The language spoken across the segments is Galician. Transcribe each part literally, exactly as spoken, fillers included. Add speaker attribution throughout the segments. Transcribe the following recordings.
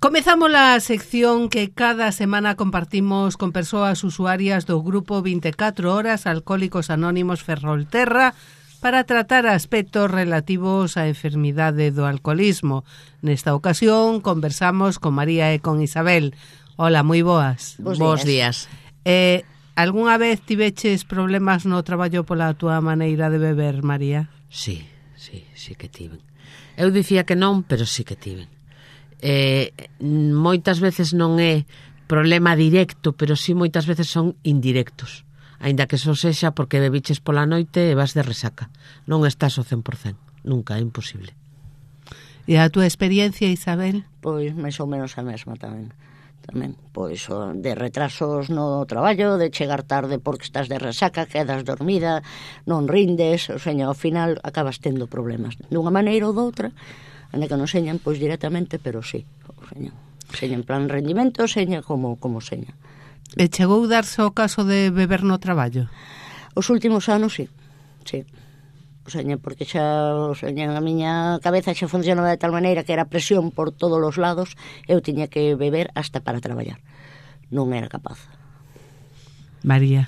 Speaker 1: Comezamos a sección que cada semana compartimos con persoas usuarias do grupo vinte e catro horas Alcohólicos Anónimos Ferrolterra para tratar aspectos relativos á enfermidade do alcoholismo. Nesta ocasión conversamos con María e con Isabel. Hola, moi boas.
Speaker 2: Bos días.
Speaker 3: Bos días.
Speaker 1: Eh, algunha vez tiveches problemas no traballo pola túa maneira de beber, María?
Speaker 3: Sí, sí, sí que tiven. Eu dicía que non, pero sí que tiven. Eh, moitas veces non é problema directo, pero sí moitas veces son indirectos, aínda que só sexa porque bebiches pola noite e vas de resaca. Non estás ao cen por cento, nunca, é imposible.
Speaker 1: E a túa experiencia, Isabel?
Speaker 2: Pois máis ou menos a mesma tamén. Tamén, pois de retrasos no traballo, de chegar tarde porque estás de resaca, quedas dormida, non rindes, o seña, ao final acabas tendo problemas dunha maneira ou doutra. Anda que non señan, pois directamente, pero sí, seña, seña en plan rendimento, seña como, como seña.
Speaker 1: E chegou darse o caso de beber no traballo?
Speaker 2: Os últimos anos, sí, sí. O seña, porque xa, o seña, a miña cabeza xa funcionaba de tal maneira que era presión por todos os lados, eu tiña que beber hasta para traballar. Non era capaz.
Speaker 1: María.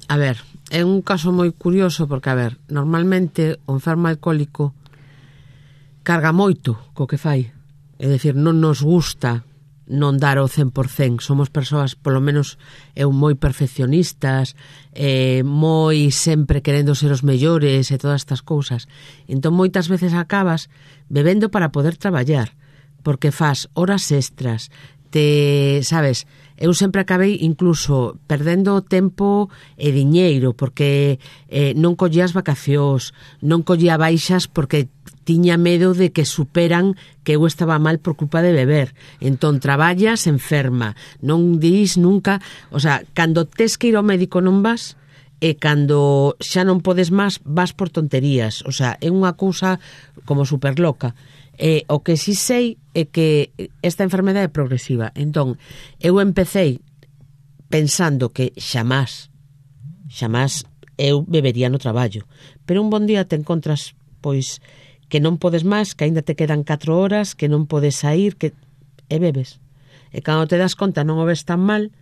Speaker 3: A ver, é un caso moi curioso porque, a ver, normalmente o enfermo alcohólico carga moito co que fai. É dicir, non nos gusta non dar o cen por cento. Somos persoas, polo menos eu, moi perfeccionistas, eh, moi sempre querendo ser os mellores e todas estas cousas. Entón, moitas veces acabas bebendo para poder traballar, porque faz horas extras, te, sabes, eu sempre acabei incluso perdendo tempo e diñeiro, porque eh, non collía as vacacións, non collía baixas porque tiña medo de que superan que eu estaba mal por culpa de beber. Entón, traballas enferma, non dis nunca, o sea, cando tes que ir ao médico non vas, e cando xa non podes máis, vas por tonterías. O sea, é unha cousa como super loca. E o que si sei é que esta enfermedade é progresiva. Entón, eu empecei pensando que xamás, xamás eu bebería no traballo. Pero un bon día te encontras, pois, que non podes máis, que aínda te quedan catro horas, que non podes sair, que e bebes. E cando te das conta non o ves tan mal,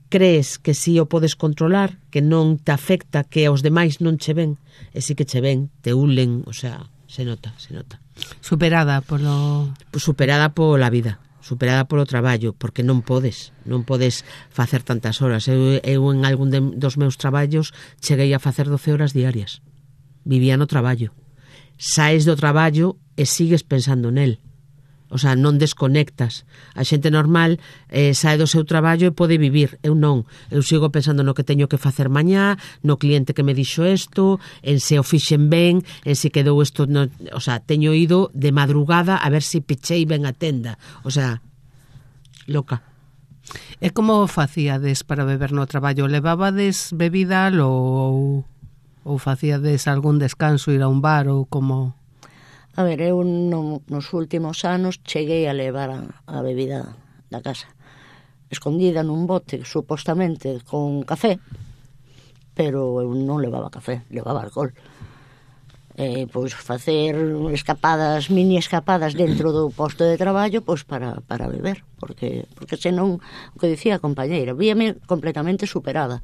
Speaker 3: crees que si o podes controlar, que non te afecta, que aos demais non che ven, e si que che ven, te ulen, o sea, se nota, se nota.
Speaker 1: Superada polo...
Speaker 3: Superada pola vida, superada polo traballo, porque non podes, non podes facer tantas horas. Eu, eu en algún de, dos meus traballos cheguei a facer doce horas diarias. Vivía no traballo. Saes do traballo e sigues pensando nel. O sea, non desconectas. A xente normal eh, sae do seu traballo e pode vivir. Eu non. Eu sigo pensando no que teño que facer mañá, no cliente que me dixo isto, en se o fixen ben, en se quedou isto... No... O sea, teño ido de madrugada a ver se pechei ben a tenda. O sea, loca.
Speaker 1: E como facíades para beber no traballo? Levabades bebida ou... ou facíades algún descanso, ir a un bar ou como...
Speaker 2: A ver, eu no, nos últimos anos cheguei a levar a, a bebida da casa escondida nun bote, supostamente con café, pero eu non levaba café, levaba alcohol. E, pois, facer escapadas, mini escapadas dentro do posto de traballo, pois, para, para beber, porque, porque senón, o que dicía a compañeira, víame completamente superada.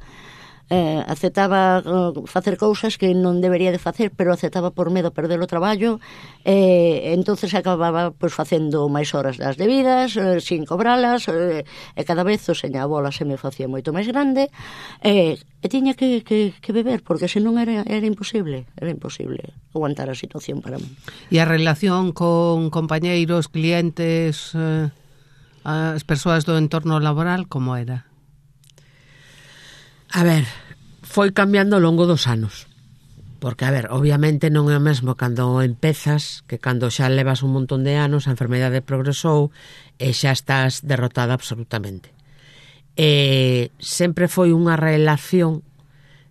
Speaker 2: Eh, aceptaba uh, facer cousas que non debería de facer, pero aceptaba por medo a perder o traballo, e eh, entonces acababa pois, facendo máis horas das debidas, eh, sin cobralas, eh, e cada vez o seña a bola se me facía moito máis grande, e, e tiña que, que, que beber, porque senón era, era imposible, era imposible aguantar a situación para mí.
Speaker 1: E a relación con compañeiros, clientes, eh, as persoas do entorno laboral, como era?
Speaker 3: A ver, foi cambiando ao longo dos anos. Porque, a ver, obviamente non é o mesmo cando empezas que cando xa levas un montón de anos, a enfermedade progresou e xa estás derrotada absolutamente. E sempre foi unha relación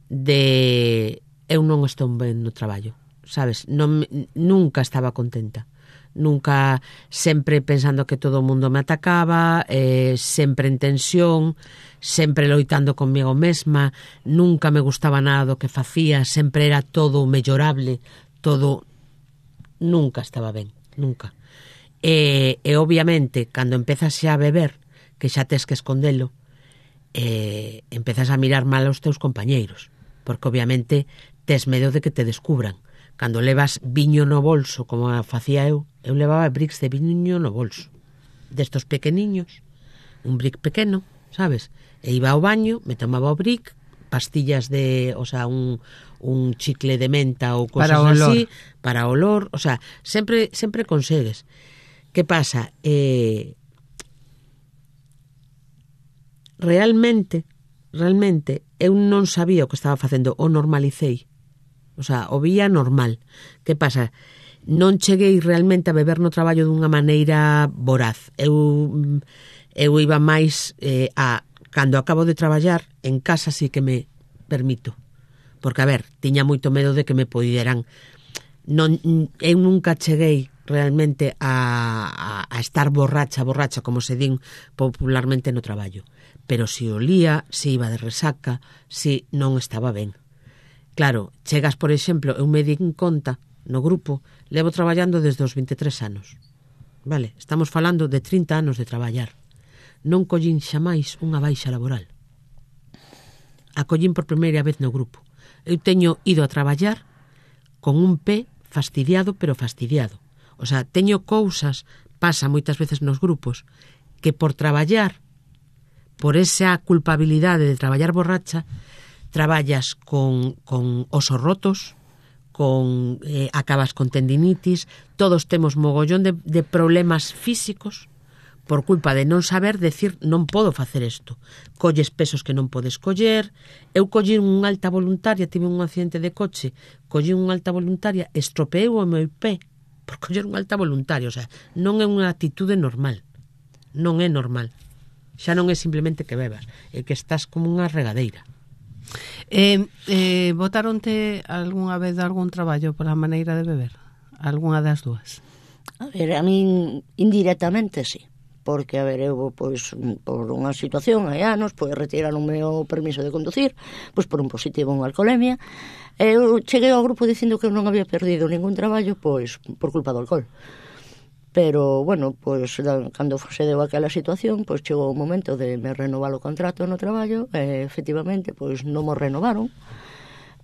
Speaker 3: de eu non estou ben no traballo, sabes? Non, nunca estaba contenta. Nunca, sempre pensando que todo o mundo me atacaba, eh, sempre en tensión, sempre loitando conmigo mesma, nunca me gustaba nada do que facía, sempre era todo mellorable, todo, nunca estaba ben, nunca. E, e obviamente, cando empezas xa a beber, que xa tes que escondelo, eh, empezas a mirar mal aos teus compañeiros, porque obviamente tes medo de que te descubran. Cando levas viño no bolso, como facía eu, eu levaba bricks de viño no bolso, destos pequeniños, un brick pequeno, sabes? E iba ao baño, me tomaba o brick, pastillas de, o sea, un, un chicle de menta ou cosas
Speaker 1: para
Speaker 3: así, para olor, o sea, sempre sempre consegues. Que pasa? Eh, realmente, realmente, eu non sabía o que estaba facendo, o normalicei. O sea, o vía normal. Que pasa? Non cheguei realmente a beber no traballo dunha maneira voraz. Eu, eu iba máis eh, a... Cando acabo de traballar, en casa sí que me permito. Porque, a ver, tiña moito medo de que me poderan... Non, eu nunca cheguei realmente a, a, a estar borracha, borracha, como se din popularmente no traballo. Pero si olía, si iba de resaca, si non estaba ben. Claro, chegas, por exemplo, eu me din conta, no grupo, levo traballando desde os veintitrés anos. Vale, estamos falando de trinta anos de traballar. Non collín xamais unha baixa laboral. A collín por primeira vez no grupo. Eu teño ido a traballar con un pé fastidiado, pero fastidiado. O sea, teño cousas, pasa moitas veces nos grupos, que por traballar, por esa culpabilidade de traballar borracha, traballas con, con osos rotos, con eh, acabas con tendinitis, todos temos mogollón de, de problemas físicos por culpa de non saber decir non podo facer isto. Colles pesos que non podes coller. Eu collí unha alta voluntaria, tive un accidente de coche, collí unha alta voluntaria, estropeei o meu pé por coller unha alta voluntaria. O sea, non é unha atitude normal. Non é normal. Xa non é simplemente que bebas, é que estás como unha regadeira.
Speaker 1: Eh, eh, botaronte algunha vez algún traballo pola maneira de beber? Algunha das dúas?
Speaker 2: A ver, a min indirectamente sí, porque, a ver, eu, pois, por unha situación hai anos, pois, retiraron o meu permiso de conducir, pois, por un positivo en alcoholemia. Eu cheguei ao grupo dicindo que eu non había perdido ningún traballo, pois, por culpa do alcohol. Pero, bueno, pois, cando se deu aquela situación, pois, chegou o momento de me renovar o contrato no traballo, e, efectivamente, pois, non mo renovaron.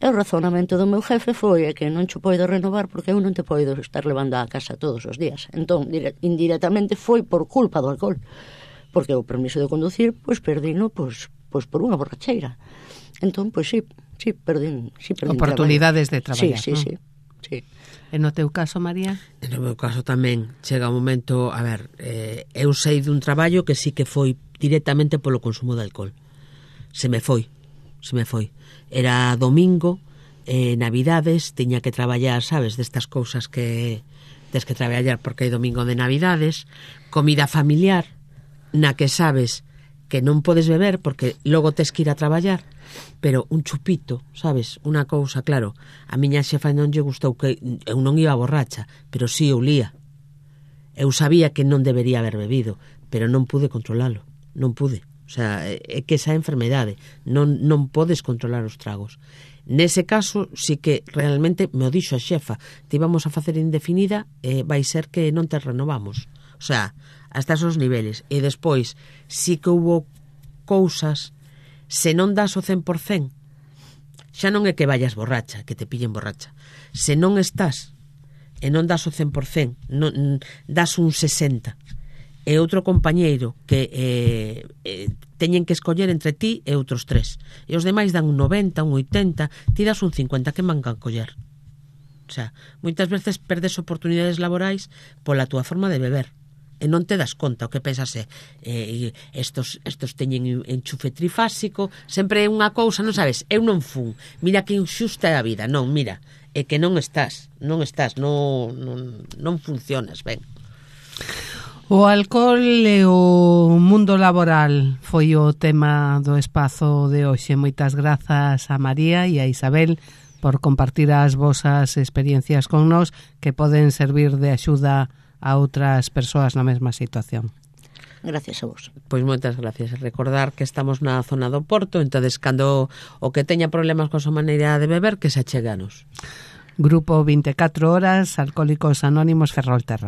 Speaker 2: E o razonamento do meu jefe foi que non cho poido renovar porque eu non te poido estar levando a casa todos os días. Entón, indirectamente foi por culpa do alcohol, porque o permiso de conducir, pois, perdino, pois, pois por unha borracheira. Entón, pois, sí, sí, perdín, sí, perdín
Speaker 1: oportunidades
Speaker 2: traballo.
Speaker 1: de traballar.
Speaker 2: Sí, sí,
Speaker 1: ¿no?
Speaker 2: sí, sí.
Speaker 1: E no teu caso, María?
Speaker 3: No meu caso tamén chega un momento, a ver, eh, eu sei dun traballo que sí que foi directamente polo consumo de alcohol. Se me foi, se me foi. Era domingo, eh, Navidades, tiña que traballar, sabes, destas cousas que tes que traballar porque hai domingo de Navidades, comida familiar, na que sabes que non podes beber porque logo tes que ir a traballar, pero un chupito, sabes, unha cousa, claro, a miña xefa non lle gustou, que eu non iba borracha, pero sí eu lía. Eu sabía que non debería haber bebido, pero non pude controlalo, non pude. O sea, é que esa enfermedade, non, non podes controlar os tragos. Nese caso, sí que realmente me o dixo a xefa, te íbamos a facer indefinida e vai ser que non te renovamos. O sea, hasta esos niveles. E despois, sí que hubo cousas, se non das o cen por cen, xa non é que vayas borracha, que te pillen borracha. Se non estás e non das o cen por cen, non, das un sesenta, e outro compañeiro que eh, eh, teñen que escoller entre ti e outros tres, e os demais dan un noventa, un oitenta, ti das un cincuenta, que mancan coller? O sea, moitas veces perdes oportunidades laborais pola túa forma de beber e non te das conta. O que pensas é eh, estos, estos teñen enchufe trifásico, sempre é unha cousa, non sabes, eu non fun, mira que inxusta é a vida. Non, mira, é que non estás, non estás, non, non, non funcionas ben.
Speaker 1: O alcohol e o mundo laboral foi o tema do espazo de hoxe. Moitas grazas a María e a Isabel por compartir as vosas experiencias con nós, que poden servir de axuda a outras persoas na mesma situación.
Speaker 2: Gracias a vos.
Speaker 3: Pois moitas gracias. Recordar que estamos na zona do Porto, entonces cando o que teña problemas con a súa maneira de beber, que se acheganos.
Speaker 1: Grupo veinticuatro horas, Alcohólicos Anónimos Ferrolterra.